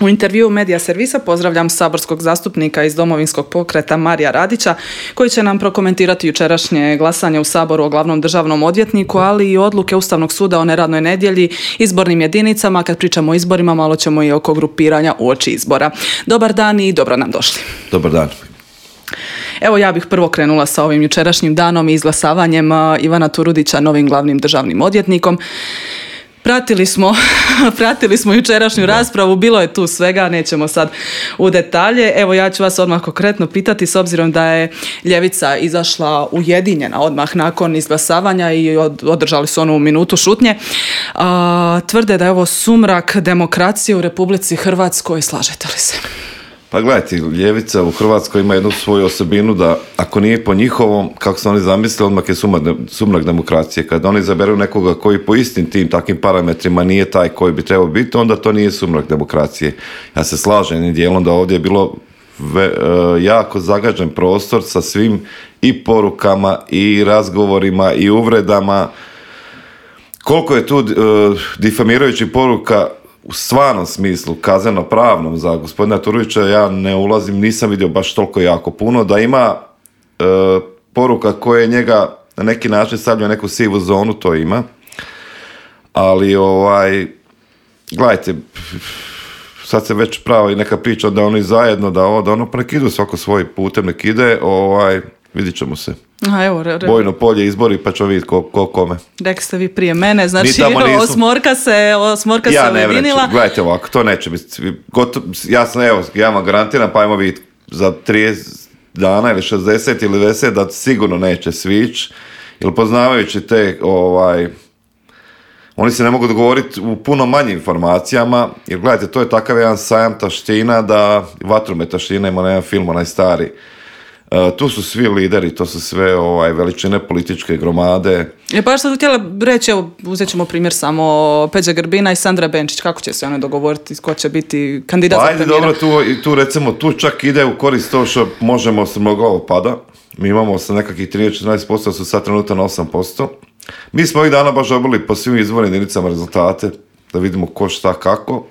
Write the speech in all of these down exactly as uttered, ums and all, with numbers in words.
U intervjuu Medija servisa pozdravljam saborskog zastupnika iz Domovinskog pokreta Marija Radića, koji će nam prokomentirati jučerašnje glasanje u Saboru o glavnom državnom odvjetniku, ali i odluke Ustavnog suda o neradnoj nedjelji, izbornim jedinicama. Kad pričamo o izborima, malo ćemo i oko grupiranja uoči izbora. Dobar dan i dobro nam došli. Dobar dan. Evo, ja bih prvo krenula sa ovim jučerašnjim danom i izglasavanjem Ivana Turudića novim glavnim državnim odvjetnikom. Pratili smo, pratili smo jučerašnju raspravu, bilo je tu svega, nećemo sad u detalje. Evo, ja ću vas odmah konkretno pitati, s obzirom da je ljevica izašla ujedinjena odmah nakon izglasavanja i održali su onu minutu šutnje. A, tvrde da je ovo sumrak demokracije u Republici Hrvatskoj. Slažete li se? Pa gledajte, ljevica u Hrvatskoj ima jednu svoju osobinu da ako nije po njihovom, kako su oni zamislili, odmah je sumrak demokracije. Kad oni izaberu nekoga koji po istim tim takvim parametrima nije taj koji bi trebao biti, onda to nije sumrak demokracije. Ja se slažem jednim dijelom da ovdje je bilo ve, uh, jako zagađen prostor sa svim i porukama i razgovorima i uvredama. Koliko je tu uh, difamirajućih poruka u stvarnom smislu, kazneno-pravnom za gospodina Turudića, ja ne ulazim, nisam vidio baš toliko jako puno, da ima e, poruka koje njega na neki način stavlja u neku sivu zonu, to ima. Ali, ovaj, gledajte, sad se već pravi neka priča da oni zajedno, da ovo, da ono, pa nek idu svako svoj putem, nek ide, ovaj, vidit ćemo se. Aha, evo, re, re. Bojno polje izbori, pa ćemo vidjeti ko, ko kome. Rekli ste vi prije mene, znači osmorka se, osmorka ja se ujedinila. Ja ne gledajte ovako, to neće biti. Gotovo, ja sam, evo, ja vam garantiram, pa ajmo vidjeti za trideset dana ili šezdeset ili devedeset da sigurno neće svić, jer poznavajući te, ovaj, oni se ne mogu dogovoriti u puno manjim informacijama, jer gledajte, to je takav jedan sajam taština, da vatromet taština, ima jedan film, onaj stari. Uh, tu su svi lideri, to su sve ovaj, veličine političke gromade. Je pa što htjela reći, evo, uzet ćemo primjer samo Peđe Grbina i Sandra Benčić, kako će se one dogovoriti, ko će biti kandidat za premijera? Ajde, dobro, tu, tu recimo, tu čak ide u korist to što možemo se mnogo pada. Mi imamo sa nekakvih trinaest do četrnaest posto, su sad trenutan osam posto. Mi smo ovih dana baš dobili po svim izbornim jedinicama rezultate, da vidimo ko šta kako.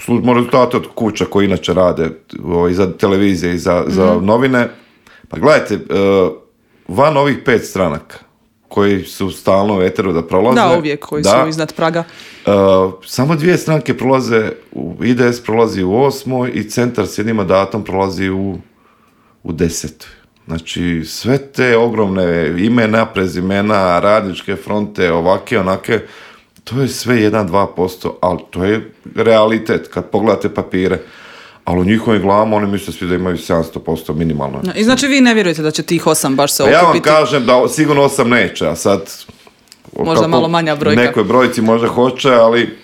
Služimo rezultate od kuća koji inače rade i za televizije i za, za mm-hmm. novine. Pa gledajte, van ovih pet stranaka koji su stalno u eteru da prolaze. Da, uvijek, koji da, su iznad praga. Samo dvije stranke prolaze, I D S prolazi u osmoj i Centar s jednim mandatom prolazi u, u desetoj. Znači, sve te ogromne imena, prezimena, radničke fronte, ovake, onake, to je sve jedan do dva posto, ali to je realitet kad pogledate papire. Ali u njihovim glavama oni misle svi da imaju sedamsto posto minimalno. I znači vi ne vjerujete da će tih osam baš se okupiti? Ja vam kažem da sigurno osam neće, a sad... Možda malo manja brojka. Nekoj brojci možda hoće, ali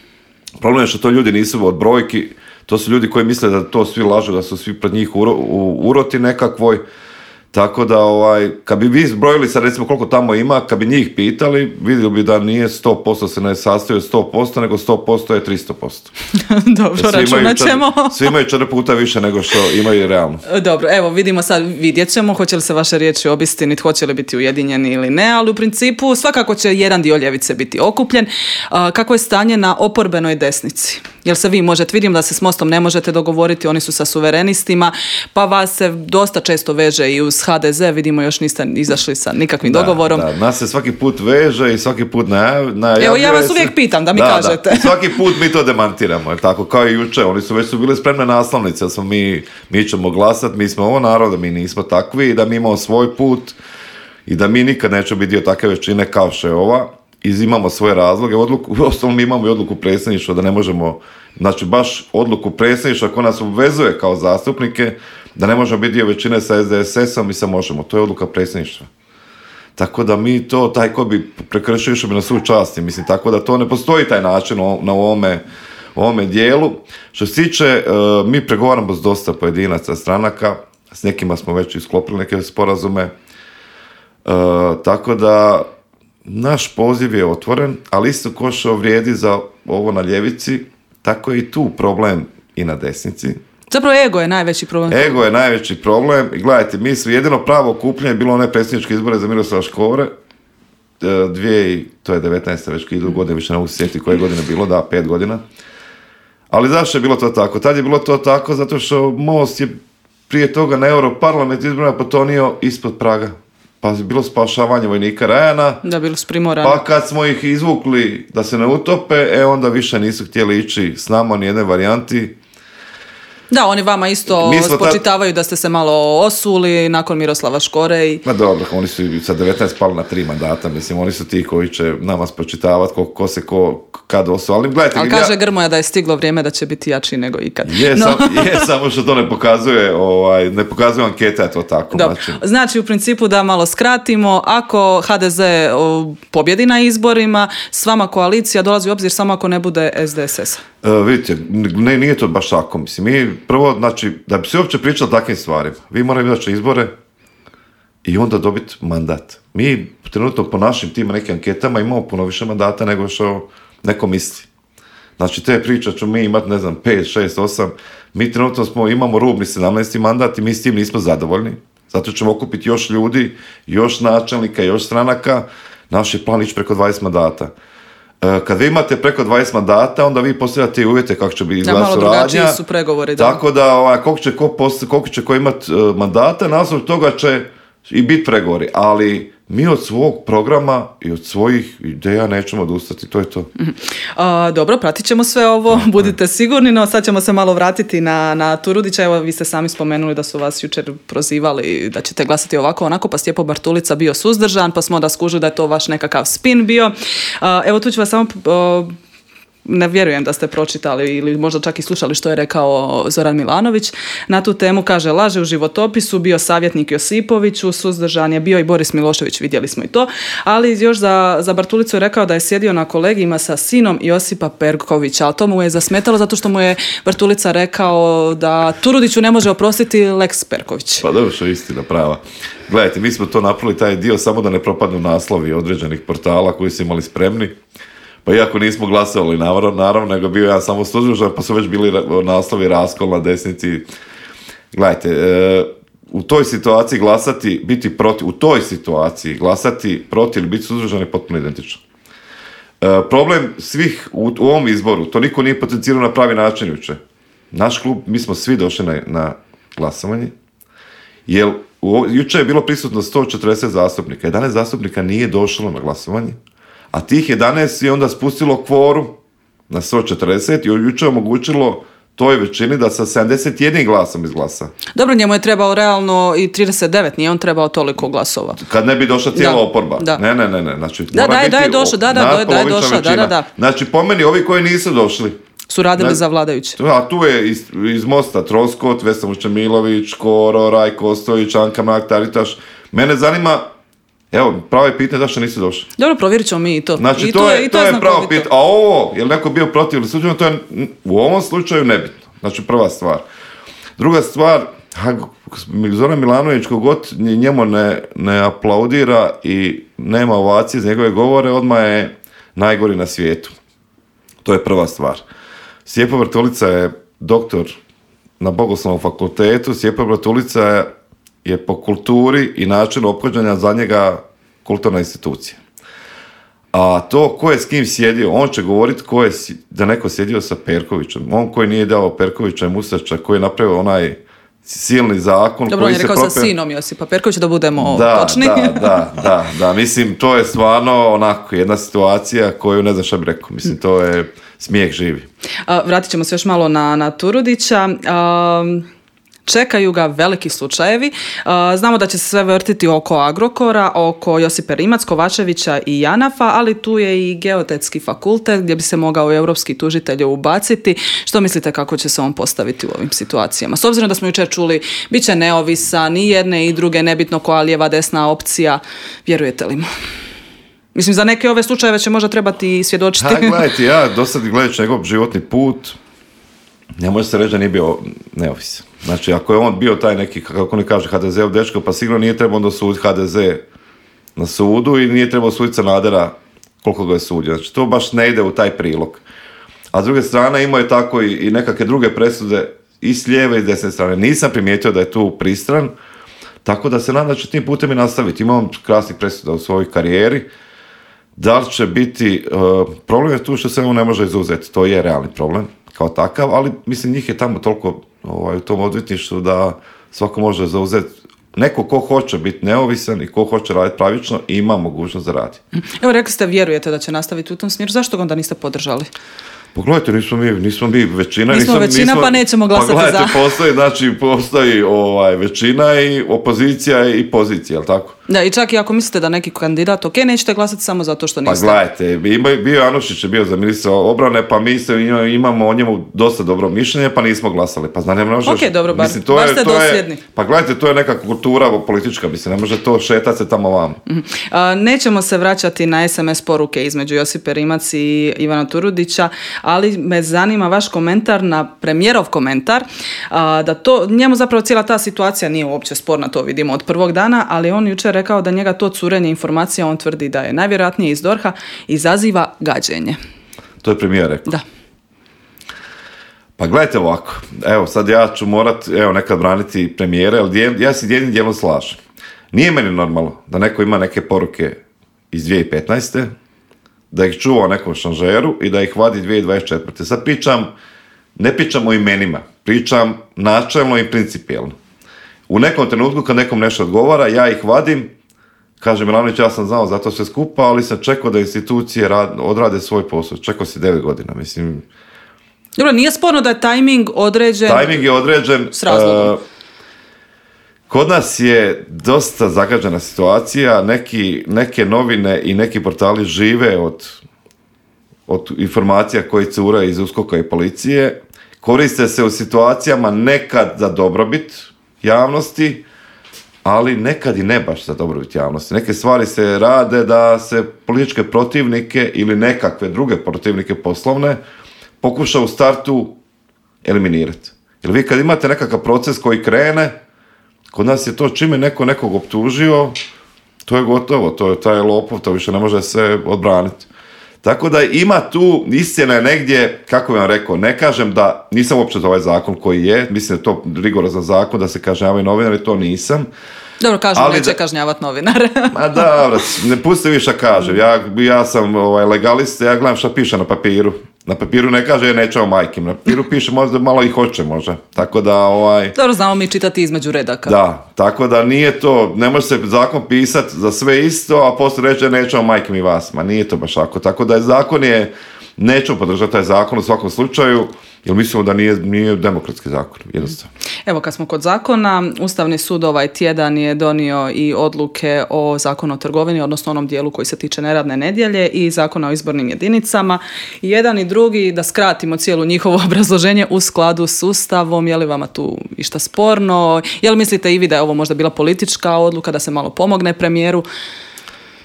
problem je što to ljudi nisu od brojki, to su ljudi koji misle da to svi lažu, da su svi pred njih uro, u uroti nekakvoj. Tako da, ovaj, kad bi vi zbrojili sad recimo koliko tamo ima, kad bi njih pitali, vidjeli bi da nije sto posto se ne sastoji od sto posto, nego sto posto je tristo posto. Dobro, računat ćemo. Svi imaju četiri puta više nego što imaju realno. Dobro, evo vidimo sad, vidjet ćemo hoće li se vaše riječi obistiniti, hoće li biti ujedinjeni ili ne, ali u principu svakako će jedan dio ljevice biti okupljen. Kako je stanje na oporbenoj desnici? Jel se vi možete, vidim da se s Mostom ne možete dogovoriti, oni su sa suverenistima, pa vas se dosta često veže i uz H D Z, vidimo još niste izašli sa nikakvim da, dogovorom. Da, nas se svaki put veže i svaki put najavljuje. Evo ja vas se... uvijek pitam da mi da, kažete. Da. Svaki put mi to demantiramo, tako kao i juče, oni su već su bili spremne naslovnice, smo mi, mi ćemo glasati, mi smo ovo narod, mi nismo takvi i da mi imamo svoj put i da mi nikad nećemo biti dio takve većine kao što je ova. Imamo svoje razloge, odluku, u osnovu mi imamo i odluku predsjedništva da ne možemo, znači baš odluku predsjedništva koja nas obvezuje kao zastupnike da ne možemo biti dio većine sa S D S S-om i sa Možemo, to je odluka predsjedništva. Tako da mi to, taj ko bi prekršio što bi na svu časti, mislim, tako da to ne postoji taj način na ovome, ovome dijelu. Što se tiče, uh, mi pregovaramo s dosta pojedinaca stranaka, s nekima smo već isklopili neke sporazume, uh, tako da naš poziv je otvoren, ali isto ko što vrijedi za ovo na ljevici, tako je i tu problem i na desnici. Zapravo ego je najveći problem. Ego je najveći problem. I gledajte, mi smo jedino pravo okupljanje bilo one predsjedničke izbore za Miroslava Škore, dvije, to je devetnaesta već idu godine, više ne mogu se sjetiti koje godine bilo, da, pet godina. Ali zašto je bilo to tako? Tad je bilo to tako zato što Most je prije toga na Europarlament izborima potonio ispod praga. Pa je bilo spašavanje vojnika Rajana. Da, bili su primorani. Pa kad smo ih izvukli da se ne utope, e onda više nisu htjeli ići s nama ni jedne varijanti. Da, oni vama isto spočitavaju ta... da ste se malo osuli nakon Miroslava Škore. I... Ma dobro, oni su sa devetnaest pali na tri mandata, mislim, oni su ti koji će nama spočitavati ko, ko se ko kad osu. Ali, gledajte, ali kaže ja... Grmoja da je stiglo vrijeme da će biti jači nego ikad. Je, no. sam, je samo što to ne pokazuje, ovaj, ne pokazuje anketa, je to tako. Znači... znači, u principu da malo skratimo, ako ha de ze o, pobjedi na izborima, s vama koalicija dolazi u obzir samo ako ne bude es de es es. Uh, vidite, ne, nije to baš tako, mislim, mi prvo, znači, da bi se uopće pričali o takvim stvarima, vi morate izaći izbore i onda dobiti mandat. Mi trenutno po našim tim nekim anketama imamo puno više mandata nego što neko misli. Znači, te priče ću mi imati, ne znam, pet, šest, osam, mi trenutno smo, imamo rubni sedamnaesti mandat i mi s tim nismo zadovoljni, zato ćemo okupiti još ljudi, još načelnika, još stranaka, naš je plan ići preko dvadeset mandata. Kad vi imate preko dvadeset mandata, onda vi postavljate i uvjete kako će biti izgleda suradnja. Malo drugačiji su pregovori. Da. Tako da, ovaj, koliko će ko, post, koliko će ko imati uh, mandata, naslov toga će i biti pregovori. Ali mi od svog programa i od svojih ideja nećemo odustati, to je to. Mm-hmm. A, dobro, pratit ćemo sve ovo, okay. Budite sigurni, no sad ćemo se malo vratiti na, na Turudića. Evo, vi ste sami spomenuli da su vas jučer prozivali da ćete glasati ovako, onako, pa Stjepo Bartulica bio suzdržan, pa smo da skužili da je to vaš nekakav spin bio. A, evo, tu ću vas samo... Uh, ne vjerujem da ste pročitali ili možda čak i slušali što je rekao Zoran Milanović na tu temu. Kaže, laže u životopisu, bio savjetnik Josipoviću, suzdržan je bio i Boris Milošević, vidjeli smo i to, ali još za, za Bartulicu je rekao da je sjedio na kolegijima sa sinom Josipa Perkovića, ali to mu je zasmetalo zato što mu je Bartulica rekao da Turudiću ne može oprostiti Lex Perković. Pa dobro, što je istina prava. Gledajte, mi smo to napravili taj dio samo da ne propadnu naslovi određenih portala koji su imali spremni. Pa iako nismo glasovali, naravno, naravno, nego bio ja samo suzdržan, pa su već bili naslovi raskol na desnici. Gledajte, e, u toj situaciji glasati, biti protiv, u toj situaciji glasati protiv ili biti suzdržan je potpuno identično. E, problem svih u, u ovom izboru, to niko nije potencirao na pravi način juče. Naš klub, mi smo svi došli na, na glasovanje, jer u, juče je bilo prisutno sto četrdeset zastupnika, jedanaest zastupnika nije došlo na glasovanje, a tih jedanaest je onda spustilo kvorum na sto četrdeset i jučer omogućilo toj većini da sa sedamdeset jedan glasom izglasa. Dobro, njemu je trebao realno i trideset devet, nije on trebao toliko glasova. Kad ne bi došla cijela da, oporba. Da. Ne, ne, ne, ne. Znači, da, da, da je došla, da, da, da je došla, da, da, da. Znači, po meni, ovi koji nisu došli, su radili ne, za vladajuće. A tu je iz, iz Mosta Troskot, Vesna Vučemilović, Koro, Rajko Ostojić, Anka Mrak-Taritaš. Mene zanima, evo, pravo je pitanje zašto nisu došli. Dobro, provjerit ćemo mi i to. Znači, I to, to je, je, to je pravo pitanje. A ovo, je li neko bio protiv ili suđeno, to je u ovom slučaju nebitno. Znači, prva stvar. Druga stvar, Zoran Milanović, kogod njemu ne, ne aplaudira i nema ovacije za njegove govore, odmah je najgori na svijetu. To je prva stvar. Stjepo Bartulica je doktor na Bogoslovnom fakultetu. Stjepo Bartulica je je po kulturi i načinu ophođenja za njega kulturna institucija. A to ko je s kim sjedio, on će govoriti ko je da neko sjedio sa Perkovićem. On koji nije dao Perkovića i Mustača, koji je napravio onaj silni zakon. Dobro, koji on je rekao prope... sa sinom Josipa Perkovića, da budemo da, točni. Da, da, da, da, mislim, to je stvarno onako jedna situacija koju ne znam šta bi rekao. Mislim, to je smijeh živi. A, vratit ćemo se još malo na, na Turudića. A... Čekaju ga veliki slučajevi. Znamo da će se sve vrtiti oko Agrokora, oko Josipe Rimac, Kovačevića i Janafa, ali tu je i Geotetski fakultet gdje bi se mogao europski tužitelj ubaciti. Što mislite kako će se on postaviti u ovim situacijama? S obzirom da smo jučer čuli, bit će neovisan, i jedne i druge, nebitno koja lijeva desna opcija. Vjerujete li mu? Mislim, za neke ove slučajeve će možda trebati svjedočiti. Ha, gledajte, ja do sad gledajući njegov životni put, ne može se reći da nije bio neovisan. Znači, ako je on bio taj neki, kako oni kaže, ha de ze-ov dečko, pa sigurno nije trebao onda suditi ha de ze na sudu i nije trebao suditi Sanadera koliko ga je sudio. Znači, to baš ne ide u taj prilog. A s druge strane, imao je tako i, i nekakve druge presude i s lijeve i s desne strane. Nisam primijetio da je tu pristran, tako da se nadam da će tim putem i nastaviti. Imam krasnih presuda u svojoj karijeri. Da li će biti, uh, problem je tu što se on ne može izuzeti, to je realni problem. kao takav, ali mislim njih je tamo toliko ovaj, u tom odvjetništvu da svako može zauzeti. Neko ko hoće biti neovisan i ko hoće raditi pravično ima mogućnost da radi. Evo, rekli ste, vjerujete da će nastaviti u tom smjeru. Zašto ga onda niste podržali? Pogledajte, nismo mi, nismo mi većina. Nismo nisam, većina, nismo, pa nećemo glasati pa gledajte, za. Postoji, znači, postoji ovaj, većina i opozicija i pozicija, jel tako? Da, i čak i ako mislite da neki kandidat, ok, nećete glasati samo zato što niste. Pa gledajte, bio Anušić je bio za ministra obrane, pa mi se imamo o njemu dosta dobro mišljenje, pa nismo glasali. Pa znam, ne možeš... Ok, dobro, bar, mislim, to bar je, ste to dosljedni. Je, pa gledajte, to je neka kultura politička, mislim, ne može to šetati se tamo vam. Mm-hmm. A, nećemo se vraćati na es em es poruke između Josipe Rimac i Ivana Turudića, ali me zanima vaš komentar na premijerov komentar, a, da to, njemu zapravo cijela ta situacija nije uopće sporna, to vidimo od prvog dana, ali on jučer rekao da njega to curenje informacija, on tvrdi da je najvjerojatnije iz dorha, izaziva gađenje. To je premijer rekao? Da. Pa gledajte ovako, evo sad ja ću morat, evo nekad braniti premijere, ali ja se jednim dijelom slažem. Nije meni normalno da neko ima neke poruke iz dvije tisuće petnaeste, da ih čuva u nekom šanžeru i da ih vadi dvije tisuće dvadeset četvrte. Sad pričam, ne pričam o imenima, pričam načelno i principijelno. U nekom trenutku kad nekom nešto odgovara, ja ih vadim, kaže Milanović, ja sam znao za to sve skupa, ali sam čekao da institucije rad, odrade svoj posao. Čekao si devet godina, mislim. Dobro, nije sporno da je tajming određen. Tajming je određen. S razlogom. Uh, kod nas je dosta zagađena situacija, neki, neke novine i neki portali žive od, od informacija koje cure iz USKOK-a i policije, koriste se u situacijama nekad za dobrobit javnosti, ali nekad i ne baš za dobrobit javnosti. Neke stvari se rade da se političke protivnike ili nekakve druge protivnike poslovne pokuša u startu eliminirati. Jer vi kad imate nekakav proces koji krene, kod nas je to čime neko nekog optužio, to je gotovo, to je taj lopov, to više ne može se odbraniti. Tako da ima tu, istina je negdje, kako bih vam rekao, ne kažem da nisam uopće za ovaj zakon koji je, mislim da je to rigorozan zakon da se kažnjavaju novinari, to nisam. Dobro, kažem, ali neće da, kažnjavati novinare. Ma da, ne pusti vi šta kažem, ja, ja sam ovaj, legalist, ja gledam šta piše na papiru. Na papiru ne kaže ja nećemo majkim, na papiru piše možda malo i hoće možda, tako da ovaj... Dobro, znamo mi čitati između redaka. Da, tako da nije to, ne može se zakon pisati za sve isto, a poslije reći nećemo majkim i vas, ma nije to baš tako, tako da je zakon je, nećemo podržati taj zakon u svakom slučaju, jer mislimo da nije, nije demokratski zakon, jednostavno. Evo, kad smo kod zakona, Ustavni sud ovaj tjedan je donio i odluke o zakonu o trgovini, odnosno onom dijelu koji se tiče neradne nedjelje i zakona o izbornim jedinicama. I jedan i drugi, da skratimo cijelu njihovo obrazloženje, u skladu s Ustavom. Je li vama tu išta sporno? Je li mislite i vi da je ovo možda bila politička odluka, da se malo pomogne premijeru?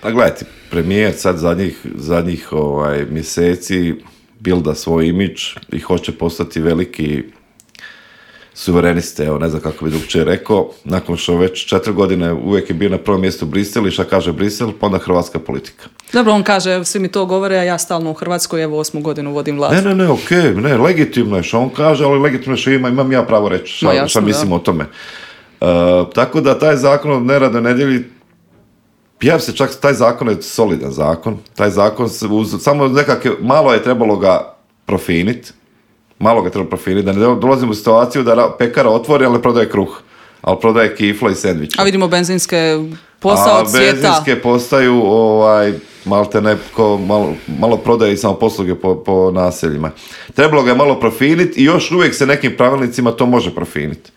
Pa gledajte, premijer sad zadnjih, zadnjih ovaj, mjeseci bilda svoj imidž i hoće postati veliki suvereniste, evo ne znam kako bi drugčije rekao, nakon što već četiri godine uvijek je bio na prvom mjestu Brisel i šta kaže Brisel, pa onda hrvatska politika. Dobro, on kaže, svi mi to govore, a ja stalno u Hrvatskoj, evo osmu godinu vodim vlast. Ne, ne, ne, okej, okay, ne, legitimno je što on kaže, ali legitimno je što ima, imam ja pravo reći šta, no, šta mislim da. o tome. Uh, tako da taj zakon o neradnoj nedjelji, ja se čak, taj zakon je solidan zakon, taj zakon se uz, samo nekakve, malo je trebalo ga profiniti, malo ga treba profiniti, da ne dolazimo u situaciju da pekara otvori, ali ne prodaje kruh, ali prodaje kifla i sendviče. A vidimo benzinske posao od svijeta. A benzinske postaju, ovaj, malte neko, malo, malo prodaje i samo posluge po, po naseljima. Trebalo ga je malo profiniti i još uvijek se nekim pravilnicima to može profiniti.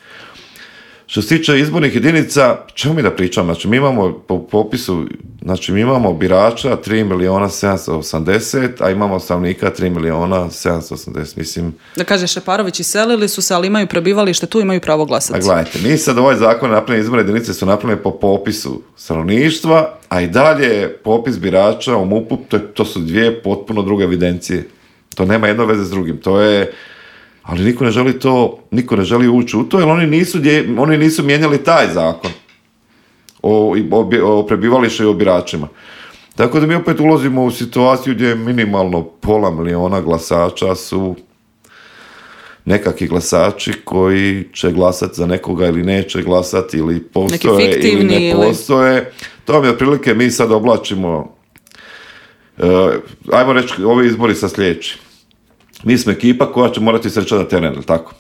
Što se tiče izbornih jedinica, čemu mi da pričam? Znači, mi imamo po popisu, znači, mi imamo birača tri milijuna sedamsto osamdeset, a imamo stanovnika tri milijuna sedamsto osamdeset, mislim. Da kaže Šeparović, iselili su se, ali imaju prebivalište, tu imaju pravo glasati. A gledajte, mi sad ovaj zakon napravljeni, izborne jedinice su napravljene po popisu stanovništva, a i dalje popis birača u MUP-u, to, to su dvije potpuno druge evidencije. To nema jedno veze s drugim, to je... Ali niko ne želi to, niko ne želi ući u to, jer oni nisu, oni nisu mijenjali taj zakon o, o, o prebivalištu i o biračima. Tako da mi opet ulazimo u situaciju gdje minimalno pola miliona glasača su nekakvi glasači koji će glasati za nekoga ili neće glasati, ili postoje ili ne postoje. Ili... To mi otprilike mi sad oblačimo, uh, ajmo reći, ovi izbori sa sljedeći. mi smo ekipa koja će morati srećati na teren, ili tako?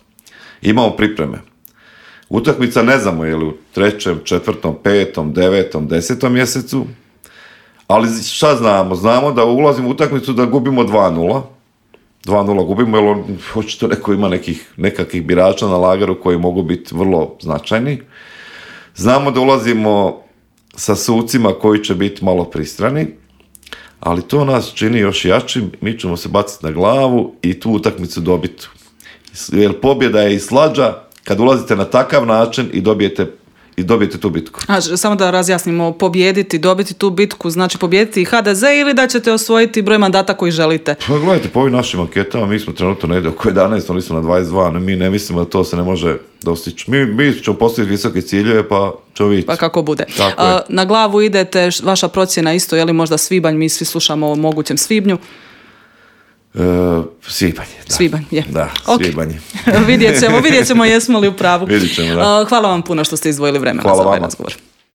Imamo pripreme. Utakmica ne znamo je li u trećem, četvrtom, petom, devetom, desetom mjesecu, ali šta znamo? Znamo da ulazimo u utakmicu da gubimo dva nula. dva nula gubimo, jer on, očito neko ima nekih, nekakvih birača na lagaru koji mogu biti vrlo značajni. Znamo da ulazimo sa sucima koji će biti malo pristrani, ali to nas čini još jačim, mi ćemo se baciti na glavu i tu utakmicu dobiti. Jer pobjeda je i slađa kad ulazite na takav način i dobijete, i dobijete tu bitku. A, samo da razjasnimo, pobijediti, dobiti tu bitku, znači pobijediti i ha de ze ili da ćete osvojiti broj mandata koji želite? Pa gledajte, po ovim našim anketama mi smo trenutno negdje oko jedanaest, oni su na dvadeset dva, mi ne mislimo da to se ne može dostići. Mi, mi ćemo postaviti visoke ciljeve, pa ćemo vidjeti. Pa kako bude. A, na glavu idete, vaša procjena isto, je li možda svibanj, mi svi slušamo o mogućem svibnju? Uh, svibanj, da. Svibanj, je. Da, okay. Svibanj. vidjet ćemo, vidjet ćemo jesmo li u pravu. Vidjet ćemo, da. Uh, hvala vam puno što ste izdvojili vremena hvala za ovaj vama. razgovor.